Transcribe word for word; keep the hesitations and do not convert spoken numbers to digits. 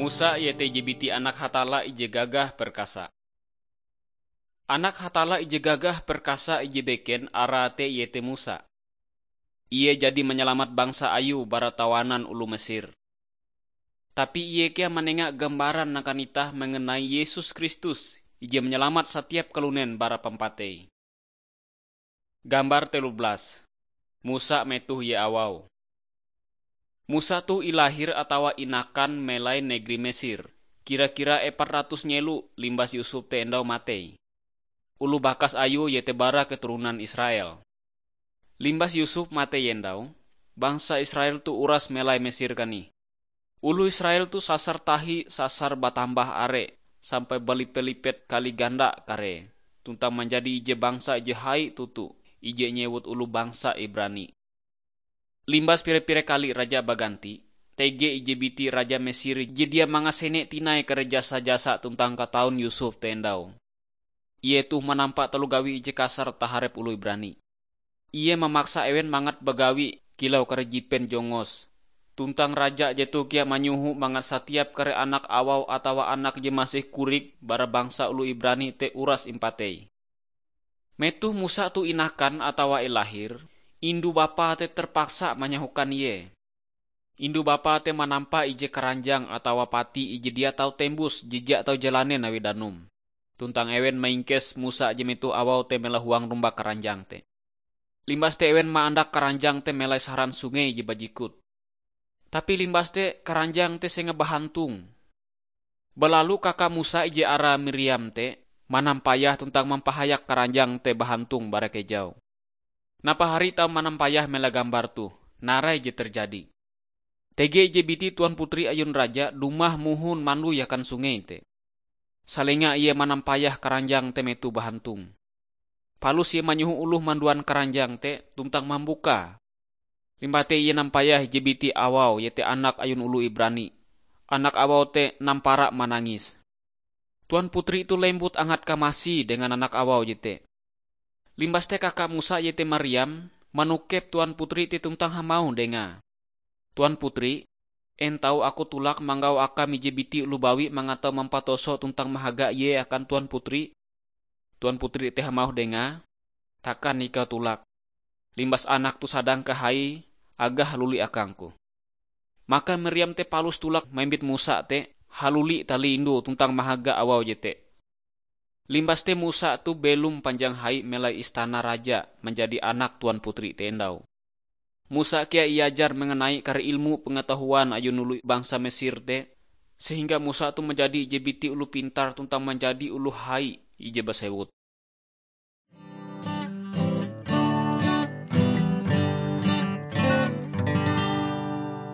Musa iete ije biti anak Hatalla ije gagah perkasa. Anak Hatalla ije gagah perkasa ije beken arae te iete Musa. Ie jadi manyalamat bangsa ayue bara tawanan oloh Mesir. Tapi ie kea manenga gambaran akan itah mengenai Yesus Kristus, ije manyalamat satiap kalunen bara pampatei. Gambar telu belas. Musa metoh ie awau. Musa toh ilahir atawa inakan melai negeri Mesir, kira-kira epat ratus nyelo limbas Yusuf te endau matei. Oloh bakas ayue iete bara keturunan Israel. Limbas Yusuf matei endau, bangsa Israel toh uras melai Mesir kanih. Oloh Israel toh sasar tahi sasar batambah are sampai balipe-lipet kali ganda karee, tuntang manjadi ije bangsa ije hai toto, ije nyewut oloh bangsa Ibrani. Limbas pire-pire kali raja baganti, tege ije biti raja Mesir je dia mangasene tinai kare jasa-jasa tuntang kataun Yusuf te endau. Ie toh manampa taloh gawi ije kasar taharep oloh Ibrani. Ie mamaksa ewen mangat bagawi kilau kare jipen jongos. Tuntang raja jetoh kea manyoho mangat satiap kare anak awau atawa anak je masih korik bara bangsa oloh Ibrani te uras impatei. Metoh Musa toh inakan atawa ilahir, indu bapae te terpaksa manyahokan ie. Indu bapae te manampa ije karanjang atawa pati ije dia tau tembus jija tau jalanen awi danum. Tuntang ewen maingkes Musa je metoh awau te melahuang rumbak karanjang te. Limbas te ewen maandak karanjang te melai saran sungei je bajikut. Tapi limbas te karanjang te sengah bahantung. Balalu kaka Musa ije arae Miriam te manampayah tuntang mampahayak karanjang te bahantung bara kejau. Napahari tau manampayah mela gambar toh, narai je terjadi. Tege ije biti tuan putri ayun raja dumah mohon mandoi akan sungei te. Salenga ie manampayah karanjang te metoh bahantung. Palus ie manyoho oloh manduan karanjang te tuntang mambukae. Limbah te ie nampayah ije biti awau iete anak ayun oloh Ibrani. Anak awau te nampara manangis. Tuan putri toh lembut angat kamasi dengan anak awau jete. Limbas te kaka Musa iete Mariam manokep tuan putri te tuntang hamauh dengae, "Tuan putri, en tau aku tulak manggau akam ije biti oloh bawi mangat tau mampatoso tuntang mahaga ie akan tuan putri?" Tuan putri te hamauh dengae, "Takan ikau tulak. Limbas anak toh sadang kahai, agae haluli akangku." Maka Miriam te palus tulak mimbit Musa te haluli tali indu tuntang mahaga awau jete. Limbas te Musa toh belom panjang hai melai istana raja manjadi anak tuan putri te endau. Musa kea iajar mengenai kare ilmu pengetahuan ayun oloh bangsa Mesir te, sehingga Musa toh manjadi ije biti oloh pintar tuntang manjadi oloh hai ije basewut.